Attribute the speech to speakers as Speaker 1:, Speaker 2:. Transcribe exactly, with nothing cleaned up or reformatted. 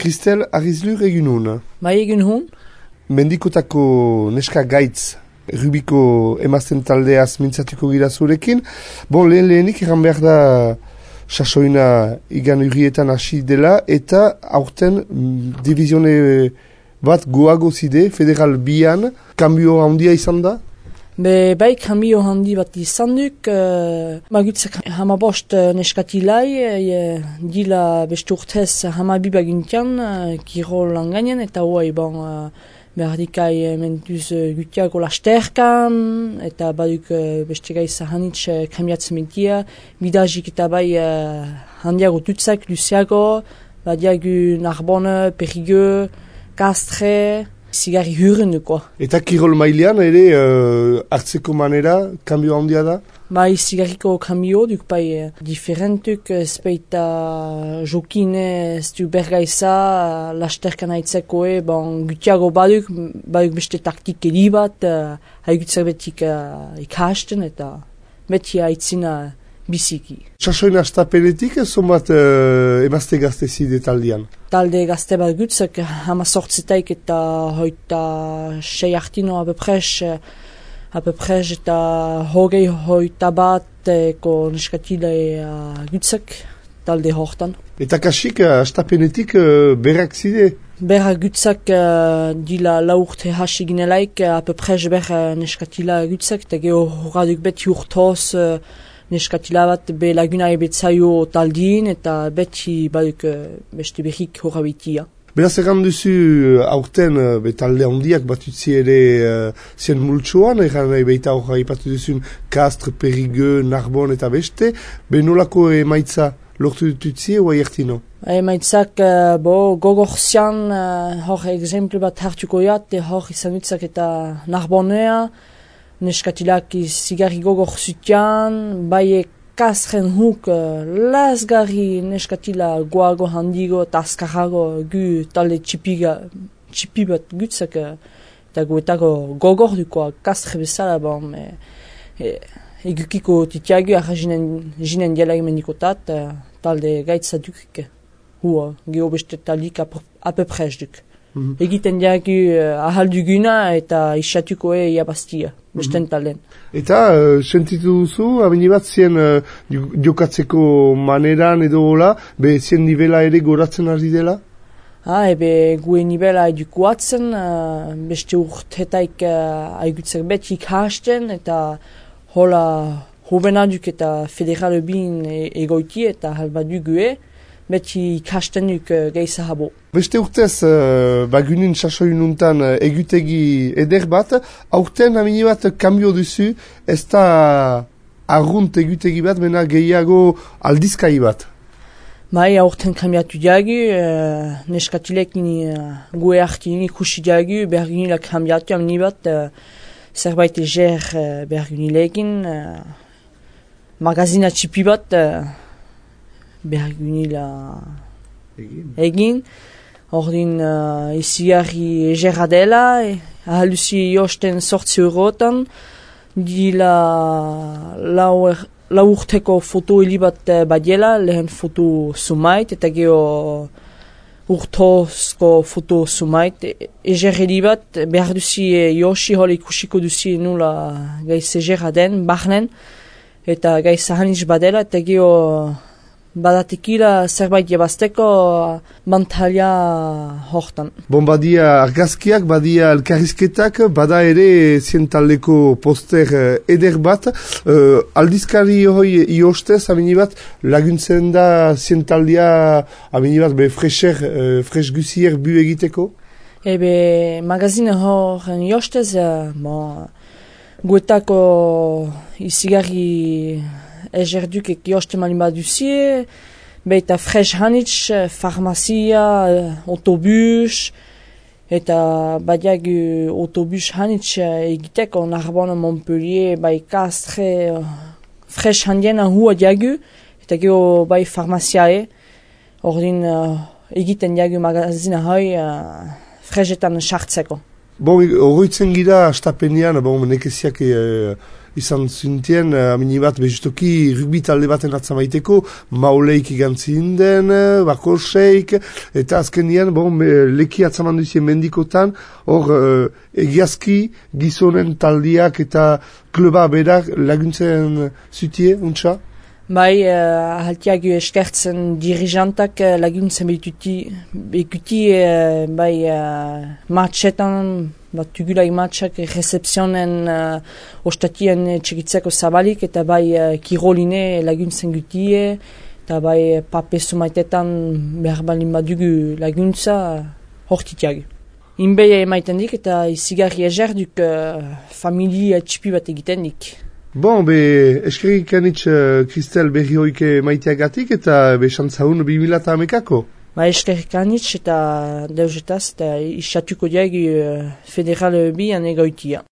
Speaker 1: Kristel Arrizlur egin hun.
Speaker 2: Bai egin hun.
Speaker 1: Mendikotako neska gaitz Rubiko emazten taldeaz mintzatuko gira zurekin. Bon, lehen lehenik eran behar da sasoina igan urrietan hasi dela eta aurten divizione bat goago zide, federal bian, kambio handia izan da?
Speaker 2: Be, bai, kambio handi bat izan duk, uh, magutzak hamabost neskatilai, e, dila beste urtez hamabibagintian, uh, kirol langanen, eta hoai bon, uh, berdikai mentuz uh, gutiago lasterkan, eta baduk uh, beste gai zahanitz uh, kambiatzen mentia, bidazik eta bai uh, handiago tutzak, luziago, badiagu Narbonne, Périgueux, Castres, zigarri huren duko.
Speaker 1: Eta kirol mailean ere uh, hartzeko manera, kambio handia da?
Speaker 2: Bai, zigarriko kambio duk bai diferentuk, ezpeita jokine, ez du bergaiza, lasterkan haitzekoe, bon, gutiago baduk, baduk beste taktik edi bat, uh, haigutzak betik uh, ikasten eta beti haitzina biziki.
Speaker 1: Sasoina astapenetik ez zonbat uh, emazte gazte zide taldean?
Speaker 2: Talde gazte bat gutzak hama sortzetaik eta hoita sei hartino apepres, apepres eta hogei hoita bat eko neskatile uh, gutzak talde hortan.
Speaker 1: Eta kasik uh, astapenetik uh, berrak zide?
Speaker 2: Berra gutzak uh, dila laurte hasi ginelaik apepres berra neskatila gutzak eta geho horaduk beti urtoz uh, neskatila bat be laguna ebetzaio taldin eta beti baduk beste berrik horabitia.
Speaker 1: Beraz egan duzu aurten be talde handiak batutzi ere uh, zien multsoan, egan nahi beita horra ipatu duzun Castres, Périgueux, Narbonne eta beste, be nolako emaitza lortu dututzi oa ertino?
Speaker 2: Emaitzak uh, bo gogorzian uh, hor exemplu bat hartuko jat, hor izan dutzak eta Narbonnea, neskatilak zigarri gogor zutian, bai Castren huk uh, lasgarri neskatila goago handigo eta azkarrago gu talde txipiga, txipi bat gutzak uh, eta guetako gogor duko Castre bezala, bon, e, e, egukiko titiagu arra jinen, jinen diala emendikotat, uh, talde gaitza duk, hua, geho beste taldik apepres duk. Mm-hmm. Egiten diagu uh, ahal duguna eta isatukoe iabaztia, besten talen.
Speaker 1: Eta, uh, sentitu duzu, abini bat zien uh, jokatzeko maneran edo hola, be zien nivela ere goratzen ari dela?
Speaker 2: Ha, ebe gue nivela edukuatzen, uh, beste urtetaik uh, aigutzak betik hasten, eta hola hobenaduk eta federal bin e egoiti eta halbadu gue, beti ikasten duk uh, geisa habo.
Speaker 1: Beste urtez, uh, bagunin sasoinuntan uh, egutegi eder bat, aurten amini bat kambio duzu, ez da arrunt egutegi bat, mena gehiago aldizkai bat.
Speaker 2: Bai, aurten kambiatu diagu, uh, neskatilekin uh, gue hartin ikusi diagu, bergunila kambiatu amini bat, uh, zerbait eger uh, bergunilekin, uh, magazina txipi bat, uh, bergunila egin. egin. Ordin uh, izigarri egerra dela, e, ahaluzi josten sortzi eurotan, dila lau, er, lau urteko foto hilibat uh, badiela, lehen foto sumait, eta geho urtozko foto sumait. E, eger hilibat, behar duzi e, josi hol ikusiko duzi nula gaiz egerra den, bahnen, eta gaiz ahaniz badela, eta geho badatekila zerbait jebazteko mantalia hortan.
Speaker 1: Bon, badia argazkiak, badia elkarrizketak, bada ere zientaldeko poster eder bat. Uh, aldizkari hoi iostez, amini bat, laguntzen da zientaldia, amini bat, be fresher, uh, fresh guzier bu egiteko?
Speaker 2: Ebe, magazine horren iostez, uh, bon, guetako izigarri ezerduk ek joste malin baduzie, beita fresh hanitz, farmazia, autobus, eta badiagu autobus hanitz egiteko Narbonne, Montpellier, bai Castres, fresh handiena hua diagu, eta geho bai farmaziae, ordin uh, egiten diagu magazina hoi uh, freshetan sartzeko.
Speaker 1: Bon, horretzen gira astapenean, bon, nekeziak e, izan zintien, amini bat, bezutoki rugby talde baten atzamaiteko, mauleik igantzin den, bakoseik, eta azkenian, bon, leki atzaman duzien mendikotan, hor, egiazki gizonen taldiak eta kluba berak laguntzen zutie, untsa?
Speaker 2: Bai, uh, haltiak eskertzen dirijantak uh, laguntzen behituti, behikuti uh, bai uh, matxetan, bat tugulai matxak recepzionen uh, ostatien txekitzeko zabalik, eta bai uh, kiroline laguntzen gutie, eta bai papezu maitetan behar balin badugu laguntza uh, hortitiak. Inbei emaiten dik eta izigarri ezerduk uh, familia txipi bat egiten dik.
Speaker 1: Bon, be, eskerrik anitz Kristel berri hoike maiteagatik eta be xantzaun bi mila eta hamekako.
Speaker 2: Ba, eskerrik anitz eta deusetaz eta isatuko diag uh, federal bian egoitia.